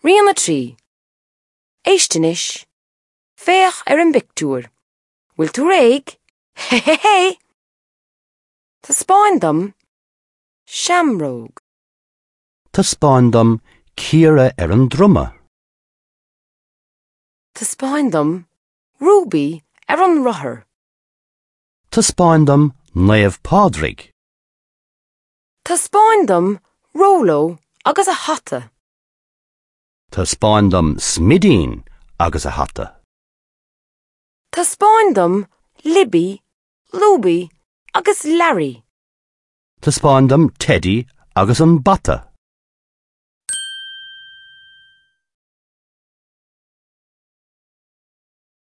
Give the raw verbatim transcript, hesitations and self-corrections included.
Rian a trí. Éist anois. Féach ar an bpictiúr. Bhfuil tú réidh? Hé hé hé! Taispeáin dom seamróg. Taispeáin dom Ciara ar an druma. Taispeáin dom Ruby ar an rothar. Taispeáin dom Naomh Pádraig. Taispeáin dom Róló agus a hata. Taispeáin dom Smidín agus a hata. Taispeáin dom Libby, Lúby agus Larry. Taispeáin dom Teddy agus an bata.